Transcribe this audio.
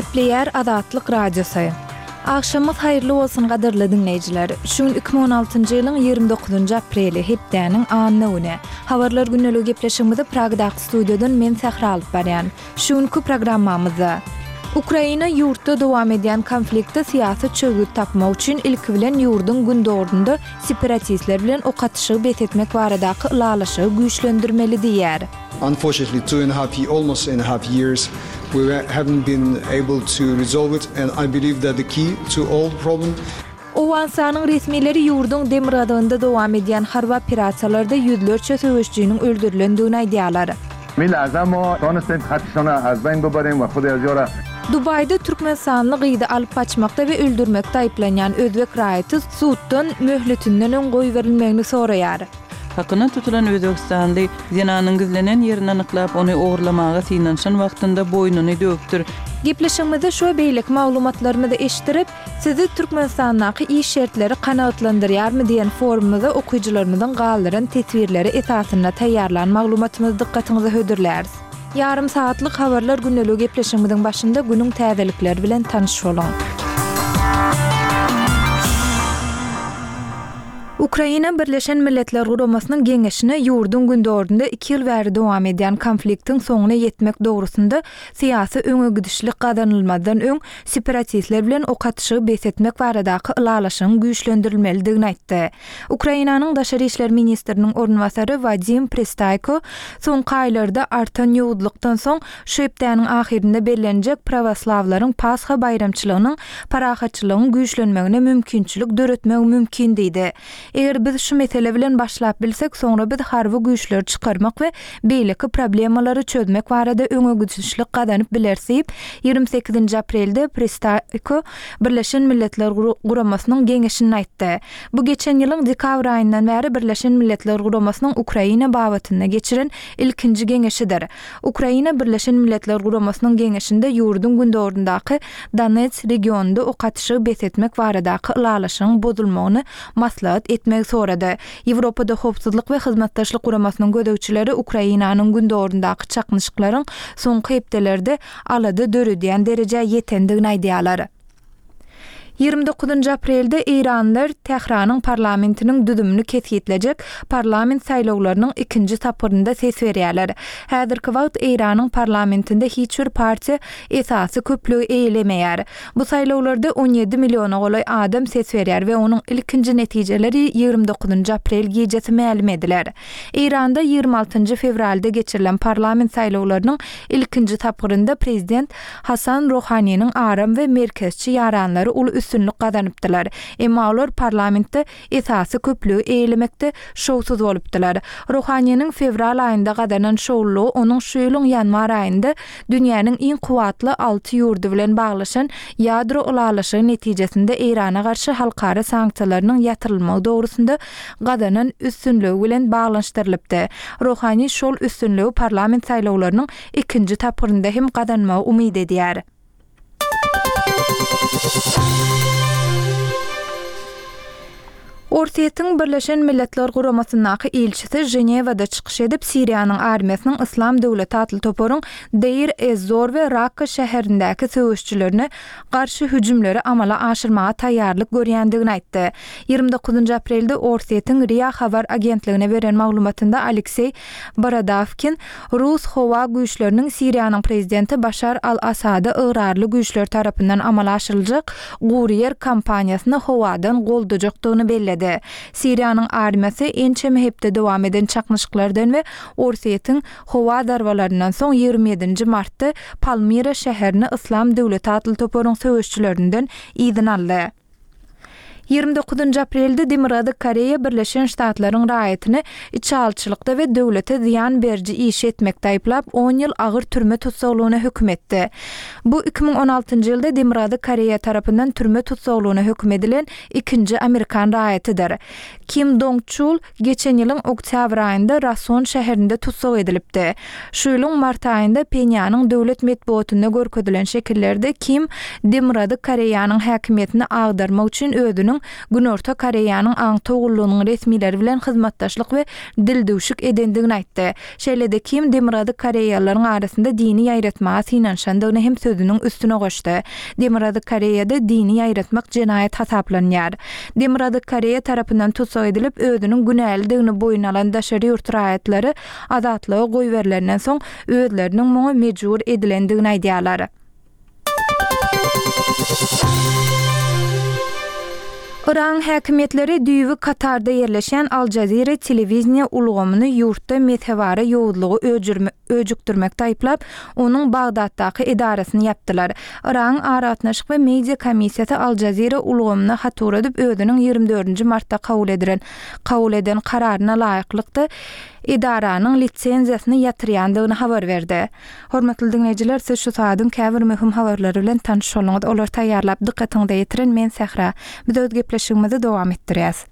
Gepleýär Azatlyk Radiosy. Agşamyňyz haýyrly bolsun gadyrly diňleýjiler. Şu gün 2016-njy ýylyň 29-njy apreli, hepdäniň anna güni. Habarlar gündeligi gepleşigimizi Pragadaky studiýadan men Sähra alyp barýan. Şu günki programmamyzda. Ukraina ýurtda dowam edýän konfliktde syýasy çözgüt tapmak üçin ilki bilen ýurduň gündogarynda separatistler bilen ok atyşygy bes etmek baradaky ylalaşygy güýçlendirmeli diýýär. Unfortunately two and a half almost and a half years we haven't been able to resolve it and I believe that the key to all the problem Owganystanyň resmileri ýurduň demirgazygynda dowam edýän harby operasiýalarda ýüzlerçe söweşijiniň öldürilendigini aýdýarlar. Dubaýda türkmenistanly gyzy alyp gaçmakda we öldürmekde aýyplanýan özbek raýaty suddan möhletinden öň goýberilmegini soraýar. Hakyna tutulan özbegistanly zenanyň gizlenen ýerini anyklap, ony ogurlamaga synanyşan wagtynda boýnuny döwüpdir. Gepleşigimizde şu we beýleki maglumatlarymyzy eşitdirip, Sizi Türkmenistandaky iş şertleri kanagatlandyrýarmy diýen forumymyza okyjylarymyzyň galdyran teswirleri esasynda taýýarlan maglumatymyzy dykgatyňyza hödürläris. Ýarym sagatlyk Habarlar gündeligi gepleşigimiziň başynda günüň täzelikleri bilen tanyş boluň. Ukraina Birleşen Milletler Guramasynyň Geňeşine ýurduň gündogarynda iki ýyl bäri dowam edýän konfliktiň soňuna ýetmek dogrusynda syýasy öňegidişlik gazanylmazdan öň separatistler bilen ok atyşygy bes etmek baradaky ylalaşygyň güýçlendirilmelidigini aýtdy. Ukrainanyň daşary işler ministriniň orunbasary Wadim Pristaýko soňky aýlarda artan ýowuzlykdan soň şu hepdäniň ahyrynda bellenjek prawoslawlaryň Pasha baýramçylygynyň parahatçylygyň güýçlenmegine mümkinçilik döretmegi mümkin diýdi. Eger biz şu mesele bilen başlap bilsek, soňra biz harby güýçleri çykarmak we beýleki problemalary çözmek barada öňegidişlik gazanyp bileris diýip, 28-nji aprelde Pristaýko Birleşen Milletler Guramasynyň Geňeşinde aýtdy. Bu geçen ýylyň dekabr aýyndan bäri Birleşen Milletler Guramasynyň Ukraina babatynda geçiren ilkinji geňeşidir. Ukraina Birleşen Milletler Guramasynyň Geňeşinde ýurduň gündogaryndaky Donets regionynda ok atyşygy bes etmek baradaky ylalaşygyň bozulmagyny maslahat etmegi sorady. Ýewropada Howpsuzlyk we Hyzmatdaşlyk Guramasynyň gözegçileri Ukrainanyň gündogaryndaky çaknyşyklaryň soňky hepdelerde alada döredýän derejä ýetendigini aýdýarlar. 29-njy aprelde eýranlylar Tähranyň parlamentiniň düzümini kesgitlejek parlament saýlawlarynyň ikinji tapgyrynda ses berýärler. Häzirki wagt Eýranyň parlamentinde hiç bir partiýa esasy köplügi eýelemeýär. Bu saýlawlarda 17 milliona golaý adam ses berýär we onuň ilkinji netijeleri 29-njy aprel gijesi mälim ediler. Eýranda 26-njy fewralda geçirilen parlament saýlawlarynyň ilkinji tapgyrynda prezident Hasan Rohaniniň aram we merkezçi ýaranlary uly üstünlik gazanypdylar. Emma olar parlamentde esasy köplügi eýelemekde şowsuz bolupdylar. Rohaniniň fewral aýynda gazanan şowlulygy onuň şu ýylyň ýanwar aýynda dünýäniň iň kuwwatly alty ýurdy bilen baglaşan ýadro ylalaşygy netijesinde Eýrana garşy halkara sanksiýalarynyň ýatyrylmagy dogrusynda gazanan üstünligi bilen baglanyşdyrylypdy. Rohani şol üstünligi parlament saýlawlarynyň ikinji tapgyrynda hem gazanmagy umyt edýär. Orsýetiň Birleşen Milletler Guramasyndaky ilçisi Ženewada çykyş edip, Siriýanyň armiýasynyň Yslam döwleti atly toparyň Deir ez-Zor we Rakka şäherindäki söweşijilerine garşy hüjümleri amala aşyrmaga taýýarlyk görýändigini aýtdy. 29 aprelde Orsýetiň RIA habar agentligine beren maglumatynda Alekseý Borodawkin rus howa güýçleriniň Siriýanyň prezidenti Başar al-Assada ygrarly güýçler tarapyndan amala aşyryljak gury ýer kampaniýasyny howadan goldajakdygyny belledi. Siriýanyň armiýasy ençeme hepde dowam eden çaknyşyklardan we Orsýetiň howa zarbalaryndan soň 27-nji martda Palmira şäherini Yslam döwleti atly toparyň söweşçilerinden yzyna aldy. 29-njy aprelde Demirgazyk Koreýa Birleşen Ştatlaryň raýatyny içalyçylykda we döwlete zyýan beriji iş etmekde aýyplap, on ýyl agyr türme tussaglygyna höküm etdi. Bu 2016-njy ýylda Demirgazyk Koreýa tarapyndan türme tussaglygyna höküm edilen ikinji amerikan raýatydyr. Kim Dong Çul geçen ýylyň oktýabr aýynda Rason şäherinde tussag edilipdi. Şu ýylyň mart aýynda Phenýanyň döwlet metbugatynda görkezilen şekillerde Kim Demirgazyk Koreýanyň häkimiýetini agdarmak üçin özüniň. Günorta Koreýanyň aňtaw gullugynyň resmileri bilen hyzmatdaşlyk we dildüwşük edendigini aýtdy. Şeýle-de Kim Demirgazyk koreýalylaryň arasynda dini ýaýratmaga synanyşandygyny hem sözüniň üstüne goşdy. Demirgazyk Koreýada dini ýaýratmak jenaýat hasaplanýar. Demirgazyk Koreýa tarapyndan tussag edilip, özüniň günälidigini boýun alan daşary ýurt raýatlary azatlyga goýberilenden soň özleriniň muňa mejbur edilendigini aýdýarlar. Yragyň häkimiýetleri düýbi Katarda ýerleşýän Al Jazeera telewideniýe ulgamyny ýurtda mezhebara ýowuzlygy öjükdirmekde aýyplap, onuň Bagdatdaky edarasyny ýapdylar. Yragyň Aragatnaşyk we media komissiýasy Al Jazeera ulgamyna hat ugradyp, özüniň 24-nji martda kabul edilen kabul eden kararyna laýyklykda, edaranyň lisenziýasyny ýatyrýandygyny habar berdi. Hormatly diňleýjiler, siz şu sagadyň käbir möhüm habarlary bilen tanyş bolduňyz. Olary taýýarlap, dykgatyňyza ýetiren men Sähra. Biz öz gepleşigimizi dowam etdirýäs.